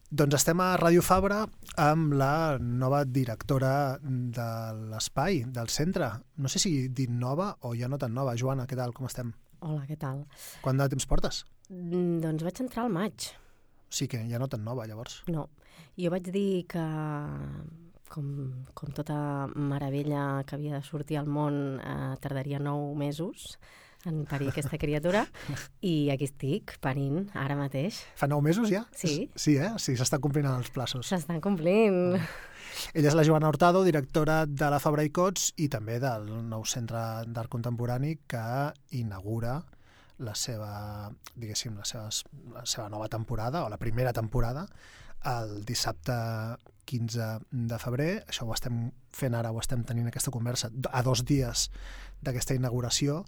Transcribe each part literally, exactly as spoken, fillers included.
Doncs estem a Ràdio Fabra amb la nova directora de l'espai, del centre. No sé si dit nova o ja no tan nova. Joana, què tal? Com estem? Hola, què tal? Quant de temps portes? Mm, doncs vaig entrar al maig. Sí que ja no tan nova, llavors. No. Jo vaig dir que, com, com tota meravella que havia de sortir al món, eh, tardaria nou mesos en parir aquesta criatura, i aquí estic, parint, ara mateix. Fa nou mesos ja? Sí. Sí, eh? Sí, s'estan complint els plaços. S'estan complint. Ella és la Joana Hurtado, directora de la Fabra i Cots i també del nou Centre d'Art Contemporani que inaugura la seva, diguéssim, la seva, la seva nova temporada, o la primera temporada, el dissabte quinze de febrer. Això ho estem fent ara, ho estem tenint aquesta conversa a dos dies d'aquesta inauguració.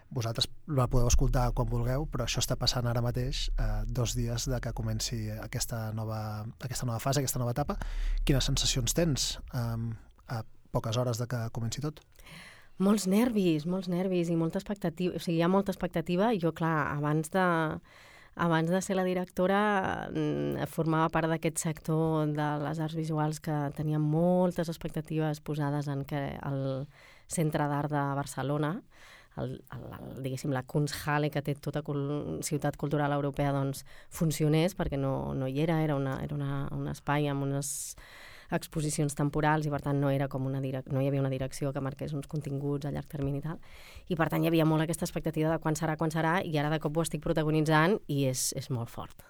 Vosaltres la podeu escoltar quan vulgueu, però això està passant ara mateix, eh, dos dies de que comenci aquesta nova, aquesta nova fase, aquesta nova etapa. Quines sensacions tens eh, a poques hores de que comenci tot? Molts nervis, molts nervis i molta expectativa. O sigui, hi ha molta expectativa. Jo, clar, abans de, abans de ser la directora, formava part d'aquest sector de les arts visuals que tenia moltes expectatives posades en que el Centre d'Art de Barcelona, el, el, el, diguéssim, la Kunsthalle que té tota cul ciutat cultural europea, doncs funcionés, perquè no, no hi era, era, una, era una, un espai amb unes exposicions temporals i per tant no era com una direc no hi havia una direcció que marqués uns continguts a llarg termini i tal, i per tant hi havia molt aquesta expectativa de quan serà, quan serà, i ara de cop ho estic protagonitzant i és, és molt fort.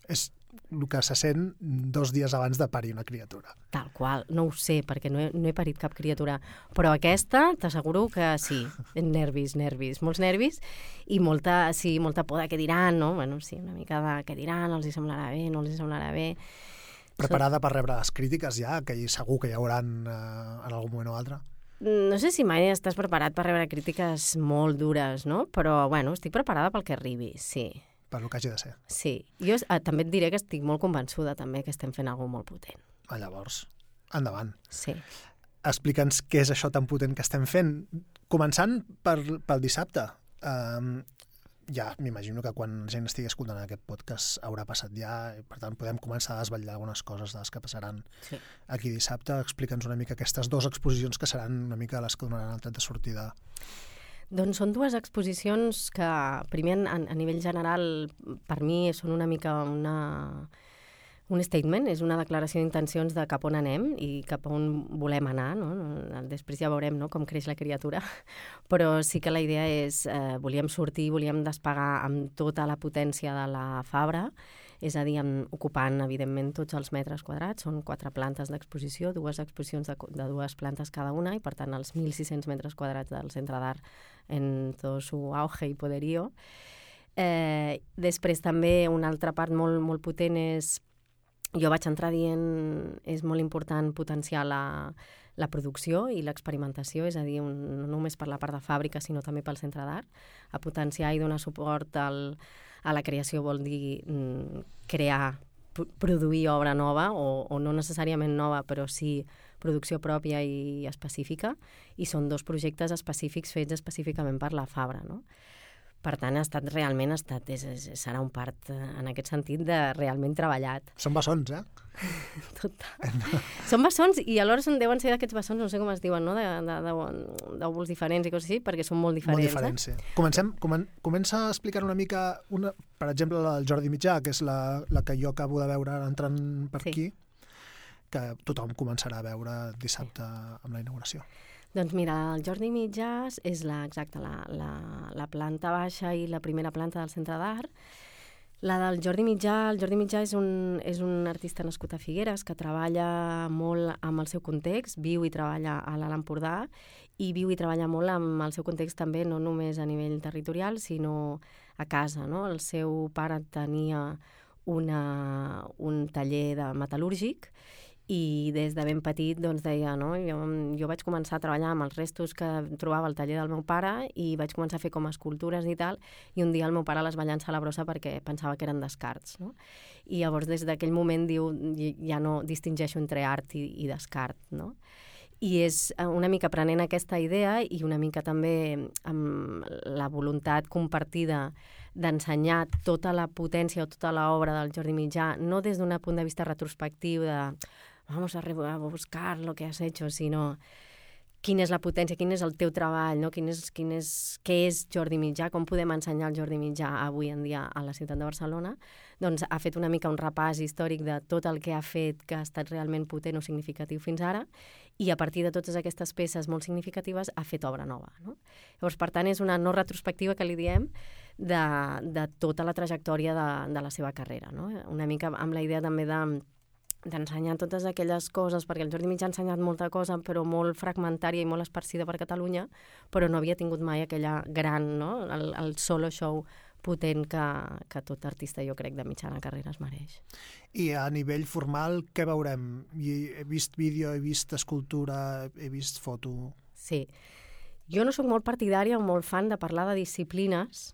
És el que se sent dos dies abans de parir una criatura. Tal qual, no ho sé, perquè no he, no he parit cap criatura, però aquesta t'asseguro que sí, nervis, nervis, molts nervis i molta, sí, molta por de què diran, no? Bueno, sí, una mica de què diran, els hi semblarà bé, no els hi semblarà bé. Preparada per rebre les crítiques ja, que segur que hi hauran eh, en algun moment o altre? No sé si mai estàs preparat per rebre crítiques molt dures, no? Però, bueno, estic preparada pel que arribi, sí. Per lo que hagi de ser. Sí. Jo eh, també et diré que estic molt convençuda també que estem fent alguna molt potent. Ah, llavors, endavant. Sí. Explica'ns què és això tan potent que estem fent. Començant per, pel dissabte. Um, ja m'imagino que quan la gent estigui escoltant aquest podcast haurà passat ja, i per tant podem començar a desvetllar algunes coses de les que passaran sí. aquí dissabte. Explica'ns una mica aquestes dues exposicions que seran una mica les que donaran el tret de sortida. Doncs són dues exposicions que, primer, a, a nivell general, per mi són una mica una, un statement, és una declaració d'intencions de cap on anem i cap on volem anar, no? Després ja veurem, no?, com creix la criatura, però sí que la idea és, eh, volíem sortir, volíem despegar amb tota la potència de la Fabra, és a dir, ocupant, evidentment, tots els metres quadrats. Són quatre plantes d'exposició, dues exposicions de, de dues plantes cada una, i per tant els mil sis-cents metres quadrats del Centre d'Art en tot su auge i poderío. Eh, després també una altra part molt, molt potent és, jo vaig entrar dient, és molt important potenciar la, la producció i l'experimentació, és a dir, un, no només per la part de fàbrica, sinó també pel Centre d'Art, a potenciar i donar suport al a la creació vol dir mm, crear, produir obra nova, o, o no necessàriament nova, però sí producció pròpia i específica, i són dos projectes específics fets específicament per la Fabra, no? Per tant, ha estat realment, ha estat, és, és, serà un part, en aquest sentit, de realment treballat. Són bessons, eh? Total. Són bessons, i alhora són, deuen ser d'aquests bessons, no sé com es diuen, no?, d'òvuls diferents i coses així, perquè són molt diferents. Molt diferents, eh? sí. Comencem, comen, comença a explicar una mica, una, per exemple, la del Jordi Mitjà, que és la, la que jo acabo de veure entrant per sí. aquí, que tothom començarà a veure dissabte sí. amb la inauguració. Doncs mira, el Jordi Mitjàs és la, exacte, la, la, la planta baixa i la primera planta del Centre d'Art. La del Jordi Mitjà, el Jordi Mitjà és un, és un artista nascut a Figueres que treballa molt amb el seu context, viu i treballa a l'Alt Empordà, i viu i treballa molt amb el seu context també, no només a nivell territorial, sinó a casa, no? El seu pare tenia una, un taller de metal·lúrgic, i des de ben petit doncs, deia, no? jo, jo vaig començar a treballar amb els restos que trobava al taller del meu pare i vaig començar a fer com escultures i tal, i un dia el meu pare les va llançar a la brossa perquè pensava que eren descarts, no? I llavors des d'aquell moment diu, ja no distingeixo entre art i, i descart, no? I és una mica prenent aquesta idea i una mica també amb la voluntat compartida d'ensenyar tota la potència o tota l'obra del Jordi Mitjà, no des d'un punt de vista retrospectiu de vamos a, a buscar lo que has hecho, sinó quina és la potència, quin és el teu treball, no? quin és, quin és, què és Jordi Mitjà, com podem ensenyar el Jordi Mitjà avui en dia a la ciutat de Barcelona, doncs ha fet una mica un repàs històric de tot el que ha fet que ha estat realment potent o significatiu fins ara, i a partir de totes aquestes peces molt significatives ha fet obra nova. No? Llavors, per tant, és una no retrospectiva que li diem de, de tota la trajectòria de, de la seva carrera. No? Una mica amb la idea també de d'ensenyar totes aquelles coses, perquè el Jordi Mitjà ha ensenyat molta cosa, però molt fragmentària i molt esparcida per Catalunya, però no havia tingut mai aquella gran, no? el, el solo show potent que, que tot artista, jo crec, de mitjana carrera es mereix. I a nivell formal, què veurem? He vist vídeo, he vist escultura, he vist foto... Sí. Jo no sóc molt partidària o molt fan de parlar de disciplines,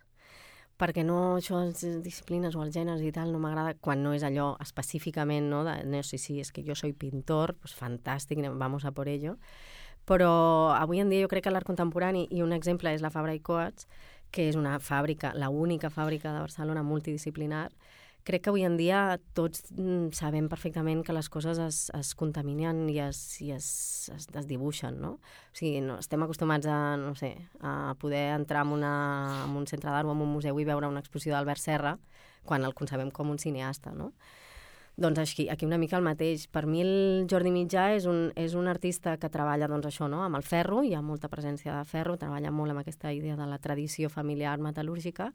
perquè no, això, les disciplines o els gèneres i tal, no m'agrada quan no és allò específicament, no, de, no, sí, sí, és que jo soy pintor, pues fantàstic, vamos a por ello. Però avui en dia jo crec que l'art contemporani, i un exemple és la Fabra i Coats, que és una fàbrica, la única fàbrica de Barcelona multidisciplinar, crec que avui en dia tots sabem perfectament que les coses es, es contaminen i es, i es, es desdibuixen, no? O sigui, no, estem acostumats a, no sé, a poder entrar en, una, en un centre d'art o en un museu i veure una exposició d'Albert Serra quan el concebem com un cineasta, no? Doncs aquí, aquí una mica el mateix. Per mi el Jordi Mitjà és un, és un artista que treballa doncs, això, no? amb el ferro, hi ha molta presència de ferro, treballa molt amb aquesta idea de la tradició familiar metal·lúrgica,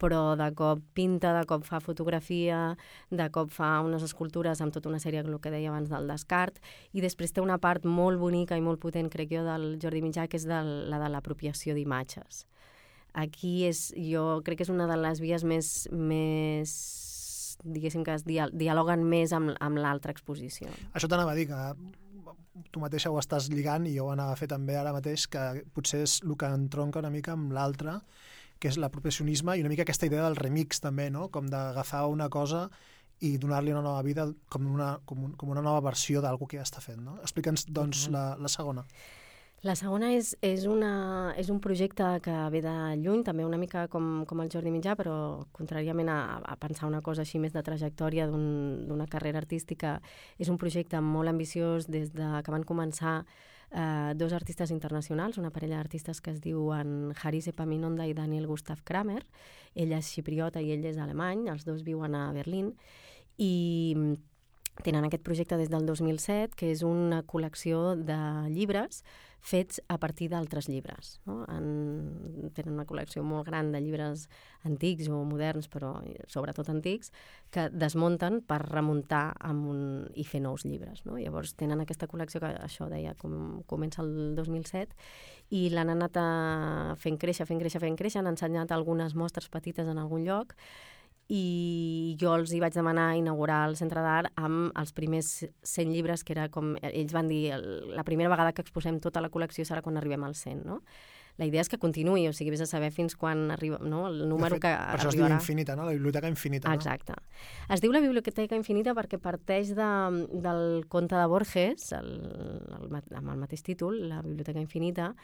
però de cop pinta, de cop fa fotografia, de cop fa unes escultures amb tota una sèrie, el que deia abans, del descart, i després té una part molt bonica i molt potent, crec jo, del Jordi Mitjà, que és de, la de l'apropiació d'imatges. Aquí és, jo crec que és una de les vies més, més diguéssim, que es dialoguen més amb, amb l'altra exposició. Això t'anava a dir, que tu mateixa ho estàs lligant, i jo ho anava a fer també ara mateix, que potser és el que entronca una mica amb l'altre, que és l'apropiacionisme i una mica aquesta idea del remix també, no? Com d'agafar una cosa i donar-li una nova vida com una, com un, com una nova versió d'algú que ja està fent. No? Explica'ns, doncs, la, la segona. La segona és, és, una, és un projecte que ve de lluny, també una mica com, com el Jordi Mitjà, però contràriament a, a pensar una cosa així més de trajectòria d'una un, carrera artística, és un projecte molt ambiciós des de que van començar eh, dos artistes internacionals, una parella d'artistes que es diuen Haris Epaminonda i Daniel Gustav Kramer. Ella és xipriota i ell és alemany, els dos viuen a Berlín, i tenen aquest projecte des del dos mil set, que és una col·lecció de llibres fets a partir d'altres llibres. No? En, tenen una col·lecció molt gran de llibres antics o moderns, però sobretot antics, que desmunten per remuntar amb un, i fer nous llibres. No? Llavors tenen aquesta col·lecció que, això deia, com, comença el dos mil set, i l'han anat a fent créixer, fent créixer, fent créixer, han ensenyat algunes mostres petites en algun lloc, i jo els hi vaig demanar inaugurar el Centre d'Art amb els primers cent llibres, que era com, ells van dir, la primera vegada que exposem tota la col·lecció serà quan arribem als cent, no? La idea és que continuï, o sigui, vés a saber fins quan arriba, no? El número fet, que per arribarà. això es diu infinita, no? La biblioteca infinita, no? Exacte. Es diu la biblioteca infinita perquè parteix de, del conte de Borges, el, el, amb el mateix títol, la biblioteca infinita,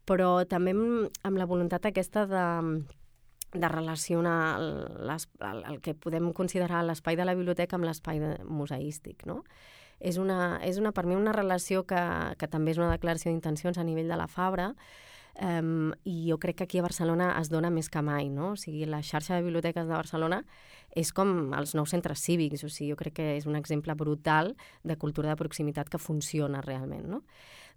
però també amb, amb la voluntat aquesta de de relacionar les, el, el que podem considerar l'espai de la biblioteca amb l'espai de, museístic, no? És, una, és una, per mi una relació que, que també és una declaració d'intencions a nivell de la Fabra, um, i jo crec que aquí a Barcelona es dona més que mai, no? O sigui, la xarxa de biblioteques de Barcelona és com els nous centres cívics, o sigui, jo crec que és un exemple brutal de cultura de proximitat que funciona realment, no?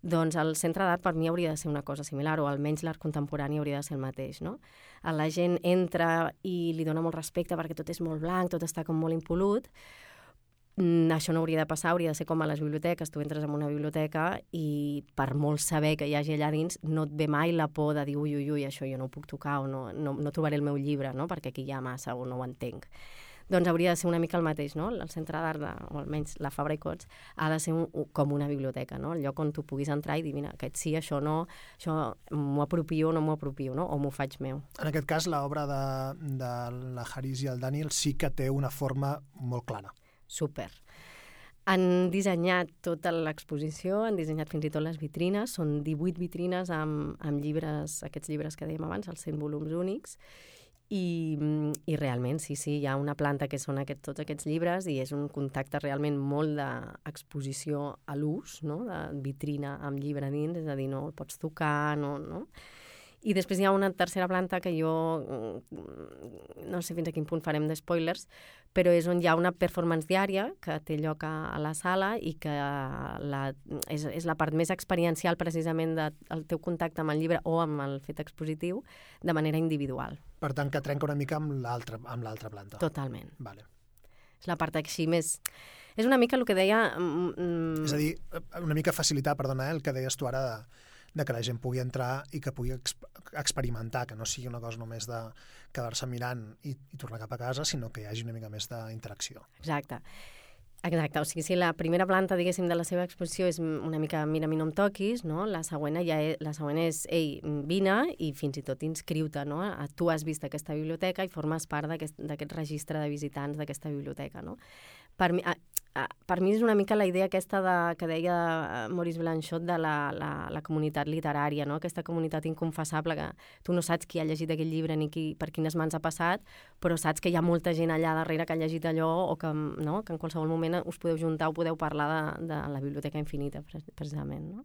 Doncs el Centre d'Art per mi hauria de ser una cosa similar, o almenys l'art contemporani hauria de ser el mateix, no? La gent entra i li dona molt respecte perquè tot és molt blanc, tot està com molt impolut. Mm, això no hauria de passar, hauria de ser com a les biblioteques. Tu entres en una biblioteca i per molt saber que hi hagi allà dins no et ve mai la por de dir ui, ui, ui, això jo no ho puc tocar o no, no, no trobaré el meu llibre, no? Perquè aquí hi ha massa o no ho entenc. Doncs hauria de ser una mica el mateix, no? El Centre d'Art, o almenys la Fabra i Coats, ha de ser un, com una biblioteca, no? El lloc on tu puguis entrar i dir, mira, aquest sí, això no, això m'ho apropio o no m'ho apropio, no? O m'ho faig meu. En aquest cas, l'obra de, de la Haris i el Daniel sí que té una forma molt clara. Super. Han dissenyat tota l'exposició, han dissenyat fins i tot les vitrines, són divuit vitrines amb, amb llibres, aquests llibres que dèiem abans, els cent volums únics, I, i realment, sí, sí, hi ha una planta que són aquest, tots aquests llibres i és un contacte realment molt d'exposició a l'ús, no? De vitrina amb llibre dins, és a dir, no el pots tocar, no, no? I després hi ha una tercera planta que jo no sé fins a quin punt farem de spoilers, però és on hi ha una performance diària que té lloc a, a la sala i que la, és, és la part més experiencial precisament del teu contacte amb el llibre o amb el fet expositiu de manera individual. Per tant, que trenca una mica amb l'altra amb l'altra planta. Totalment. Vale. És la part així més... És una mica el que deia... Mm... És a dir, una mica facilitar, perdona, eh, el que deies tu ara de, de que la gent pugui entrar i que pugui exp experimentar, que no sigui una cosa només de quedar-se mirant i, i tornar cap a casa, sinó que hi hagi una mica més d'interacció. Exacte. Exacte, o sigui, si la primera planta, diguéssim, de la seva exposició és una mica mira, mi no em toquis, no? La següent ja és, la següent és, ei, vine i fins i tot inscriu-te, no? Tu has vist aquesta biblioteca i formes part d'aquest registre de visitants d'aquesta biblioteca, no? Per mi, a, a, per mi és una mica la idea aquesta de, que deia Maurice Blanchot de la, la, la comunitat literària, no? Aquesta comunitat inconfessable que tu no saps qui ha llegit aquell llibre ni qui, per quines mans ha passat, però saps que hi ha molta gent allà darrere que ha llegit allò o que, no? Que en qualsevol moment us podeu juntar o podeu parlar de, de la Biblioteca Infinita, precisament. No?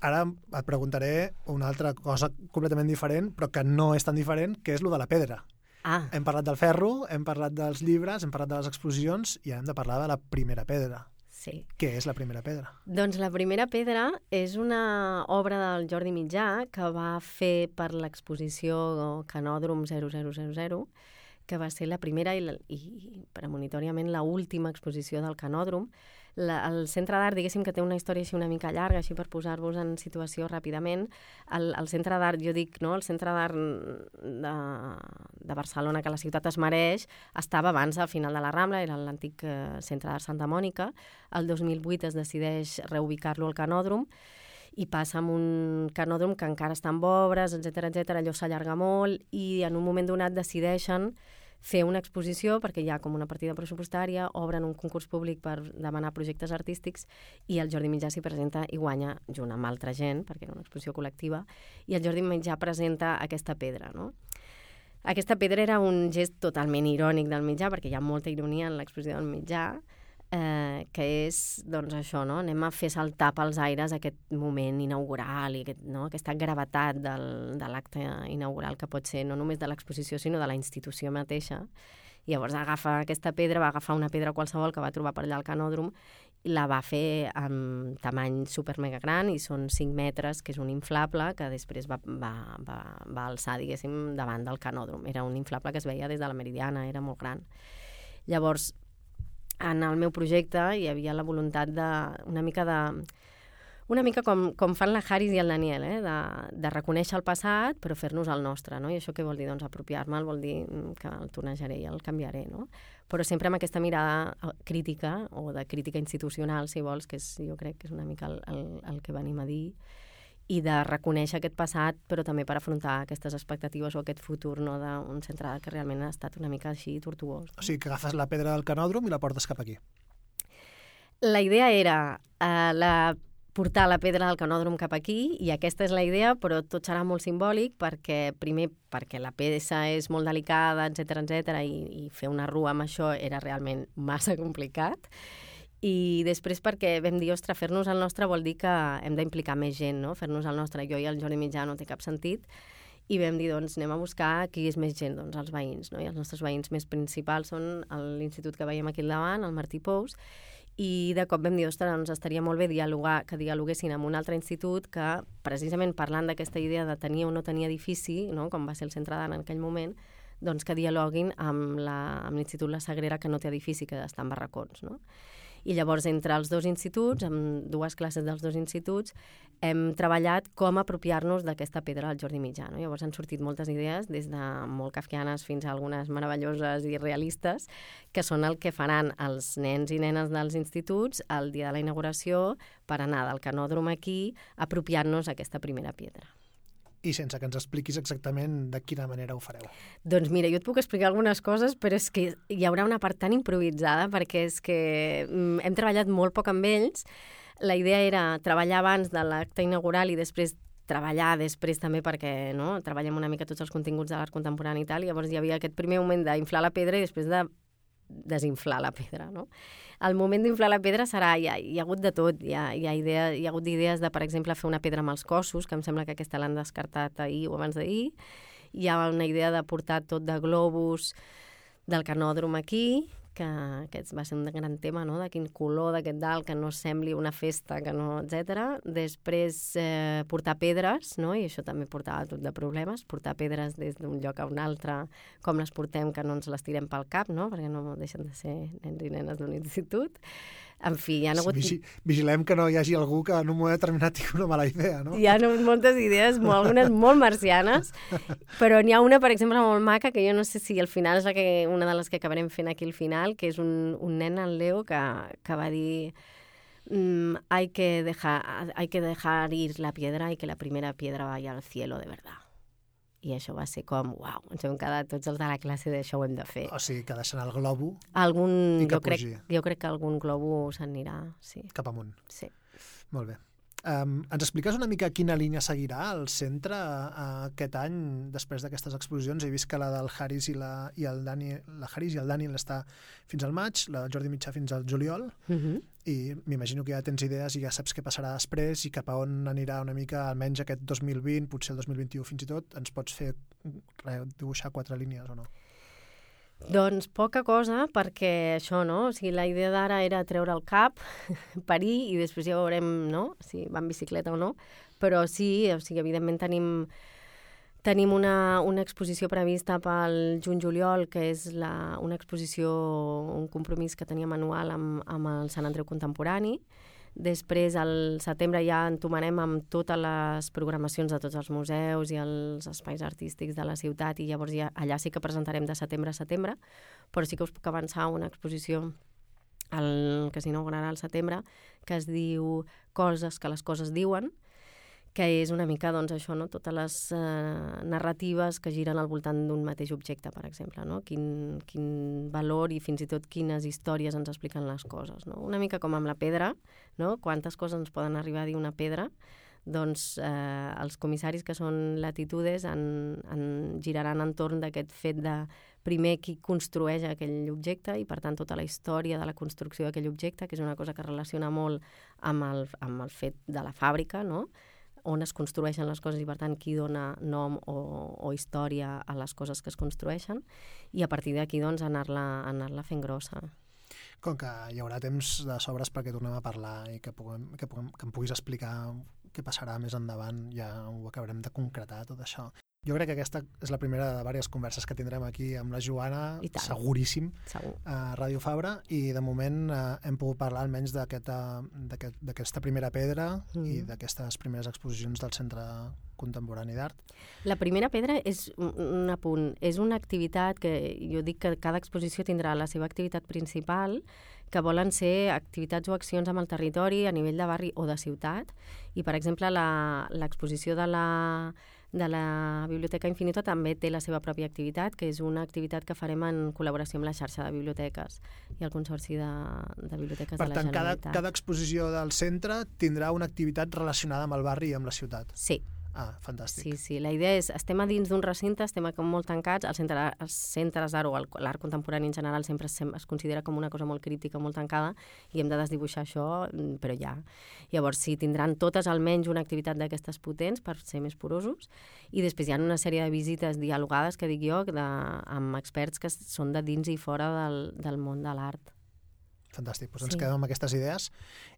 Ara et preguntaré una altra cosa completament diferent, però que no és tan diferent, que és lo de la pedra. Ah. Hem parlat del ferro, hem parlat dels llibres, hem parlat de les exposicions i hem de parlar de la primera pedra. Sí. Què és la primera pedra? Doncs la primera pedra és una obra del Jordi Mitjà que va fer per l'exposició Canòdrom zero zero zero zero, que va ser la primera i, la, i premonitòriament la última exposició del Canòdrom. La, el Centre d'Art, diguéssim que té una història així una mica llarga, així per posar-vos en situació ràpidament. El, el Centre d'Art, jo dic, no? El Centre d'Art de, de Barcelona, que la ciutat es mereix, estava abans al final de la Rambla, era l'antic eh, Centre d'Art Santa Mònica. El dos mil vuit es decideix reubicar-lo al Canòdrom i passa amb un canòdrom que encara està en obres, etcètera, etcètera. Allò s'allarga molt i en un moment donat decideixen fer una exposició perquè hi ha com una partida pressupostària, obren un concurs públic per demanar projectes artístics i el Jordi Mitjà s'hi presenta i guanya junt amb altra gent, perquè era una exposició col·lectiva, i el Jordi Mitjà presenta aquesta pedra, no? Aquesta pedra era un gest totalment irònic del Mitjà, perquè hi ha molta ironia en l'exposició del Mitjà, eh, que és, doncs, això, no? Anem a fer saltar pels aires aquest moment inaugural i aquest, no? Aquesta gravetat del, de l'acte inaugural que pot ser no només de l'exposició, sinó de la institució mateixa. I llavors agafa aquesta pedra, va agafar una pedra qualsevol que va trobar per allà al Canòdrom i la va fer amb tamany super mega gran i són cinc metres, que és un inflable que després va, va, va, va alçar, diguéssim, davant del Canòdrom. Era un inflable que es veia des de la Meridiana, era molt gran. Llavors, en el meu projecte hi havia la voluntat de una mica de una mica com, com fan la Haris i el Daniel, eh? de, de reconèixer el passat però fer-nos el nostre, no? I això què vol dir? Doncs apropiar-me'l vol dir que el tornejaré i el canviaré, no? Però sempre amb aquesta mirada crítica o de crítica institucional, si vols, que és, jo crec que és una mica el, el, el que venim a dir, i de reconèixer aquest passat, però també per afrontar aquestes expectatives o aquest futur, no, d'un centre que realment ha estat una mica així tortuós. No? O sigui, que agafes la pedra del Canòdrom i la portes cap aquí. La idea era eh, la, portar la pedra del Canòdrom cap aquí, i aquesta és la idea, però tot serà molt simbòlic, perquè primer perquè la peça és molt delicada, etcètera, etcètera, i, i fer una rua amb això era realment massa complicat. I després perquè vam dir, ostres, fer-nos el nostre vol dir que hem d'implicar més gent, no? Fer-nos el nostre, jo i el Jordi Mitjà no té cap sentit, i vam dir, doncs, anem a buscar qui és més gent, doncs, els veïns, no? I els nostres veïns més principals són l'institut que veiem aquí al davant, el Martí Pous, i de cop vam dir, ostres, doncs estaria molt bé dialogar, que dialoguessin amb un altre institut que, precisament parlant d'aquesta idea de tenir o no tenir edifici, no? Com va ser el Centre d'Art en aquell moment, doncs que dialoguin amb l'Institut La Sagrera, que no té edifici, que està en barracons, no? I llavors, entre els dos instituts, amb dues classes dels dos instituts, hem treballat com apropiar-nos d'aquesta pedra del Jordi Mitjà. No? Llavors han sortit moltes idees, des de molt kafkianes fins a algunes meravelloses i realistes, que són el que faran els nens i nenes dels instituts el dia de la inauguració per anar del Canòdrom aquí, apropiant-nos aquesta primera pedra. I sense que ens expliquis exactament de quina manera ho fareu. Doncs mira, jo et puc explicar algunes coses, però és que hi haurà una part tan improvisada, perquè és que hem treballat molt poc amb ells. La idea era treballar abans de l'acte inaugural i després treballar després també perquè no, treballem una mica tots els continguts de l'art contemporani i tal, i llavors hi havia aquest primer moment d'inflar la pedra i després de desinflar la pedra, no? El moment d'inflar la pedra serà, hi ha, hi ha hagut de tot, hi ha, hi ha, idea, hi ha hagut idees de, per exemple, fer una pedra amb els cossos, que em sembla que aquesta l'han descartat ahir o abans d'ahir, hi ha una idea de portar tot de globus del canòdrom aquí, que aquest va ser un gran tema, no? De quin color d'aquest dalt, que no sembli una festa, que no, etcètera. Després eh, portar pedres, no? I això també portava tot de problemes, portar pedres des d'un lloc a un altre, com les portem, que no ens les tirem pel cap, no? Perquè no deixen de ser nens i nenes d'un institut. En fi, hi ha hagut... Sí, vigilem que no hi hagi algú que en un moment determinat tingui una mala idea, no? Hi ha moltes idees, molt, algunes molt marcianes, però n'hi ha una, per exemple, molt maca, que jo no sé si al final és la que, una de les que acabarem fent aquí al final, que és un, un nen, el Leo, que, que va dir mm, hay, que dejar, hay que dejar ir la piedra y que la primera piedra vaya al cielo de verdad. I això va ser com, uau, ens hem quedat tots els de la classe d'això ho hem de fer. O sigui, que deixen el globo algun, i que jo crec, pugi. jo crec que algun globo s'anirà, sí. Cap amunt. Sí. Molt bé. Um, ens expliques una mica quina línia seguirà el centre uh, aquest any després d'aquestes exposicions? He vist que la del Haris i, la, i el Dani, la Haris i el Daniel està fins al maig, la del Jordi Mitjà fins al juliol, Uh-huh. i m'imagino que ja tens idees i ja saps què passarà després i cap a on anirà una mica almenys aquest dos mil vint, potser el dos mil vint-i-u fins i tot. Ens pots fer re, dibuixar quatre línies o no? Doncs poca cosa, perquè això, no? O sigui, la idea d'ara era treure el cap, parir, i després ja veurem, no?, si va en bicicleta o no. Però sí, o sigui, evidentment tenim, tenim una, una exposició prevista pel juny-juliol, que és la, una exposició, un compromís que teníem anual amb, amb el Sant Andreu Contemporani. Després, al setembre, ja entomarem amb totes les programacions de tots els museus i els espais artístics de la ciutat, i llavors ja, allà sí que presentarem de setembre a setembre, però sí que us puc avançar una exposició el, que s'inaugurarà al setembre, que es diu Coses que les coses diuen, que és una mica, doncs, això, no? Totes les eh, narratives que giren al voltant d'un mateix objecte, per exemple, no? Quin, quin valor i fins i tot quines històries ens expliquen les coses, no? Una mica com amb la pedra, no? Quantes coses ens poden arribar a dir una pedra, doncs eh, els comissaris que són latitudes en, en giraran entorn d'aquest fet de primer qui construeix aquell objecte i, per tant, tota la història de la construcció d'aquell objecte, que és una cosa que relaciona molt amb el, amb el fet de la fàbrica, no?, on es construeixen les coses i, per tant, qui dona nom o, o història a les coses que es construeixen, i a partir d'aquí, doncs, anar-la anar-la fent grossa. Com que hi haurà temps de sobres perquè tornem a parlar i que, puguem, que, puguem, que em puguis explicar què passarà més endavant, ja ho acabarem de concretar, tot això. Jo crec que aquesta és la primera de diverses converses que tindrem aquí amb la Joana, seguríssim, Segur. a Ràdio Fabra, i de moment eh, hem pogut parlar almenys d'aquesta aquest, primera pedra mm. i d'aquestes primeres exposicions del Centre Contemporani d'Art. La primera pedra és un, un apunt, és una activitat que jo dic que cada exposició tindrà la seva activitat principal, que volen ser activitats o accions amb el territori a nivell de barri o de ciutat, i, per exemple, l'exposició de la de la Biblioteca Infinita també té la seva pròpia activitat, que és una activitat que farem en col·laboració amb la xarxa de biblioteques i el Consorci de, de Biblioteques per de la tant, Generalitat. Per tant, cada exposició del centre tindrà una activitat relacionada amb el barri i amb la ciutat. Sí. Ah, fantàstic. Sí, sí. La idea és, estem a dins d'un recinte, estem com molt tancats, els centres, els centres d'art o l'art contemporani en general sempre es, es considera com una cosa molt críptica, molt tancada, i hem de desdibuixar això, però ja. Llavors, sí, tindran totes almenys una activitat d'aquestes potents per ser més porosos, i després hi ha una sèrie de visites dialogades, que dic jo, de, amb experts que són de dins i fora del, del món de l'art. Fantàstic. Doncs sí. Ens Sí. quedem amb aquestes idees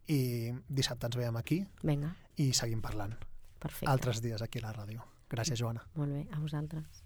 i dissabte ens veiem aquí. Vinga. I seguim parlant. Perfecte. Altres dies aquí a la ràdio. Gràcies, Joana. Molt bé, a vosaltres.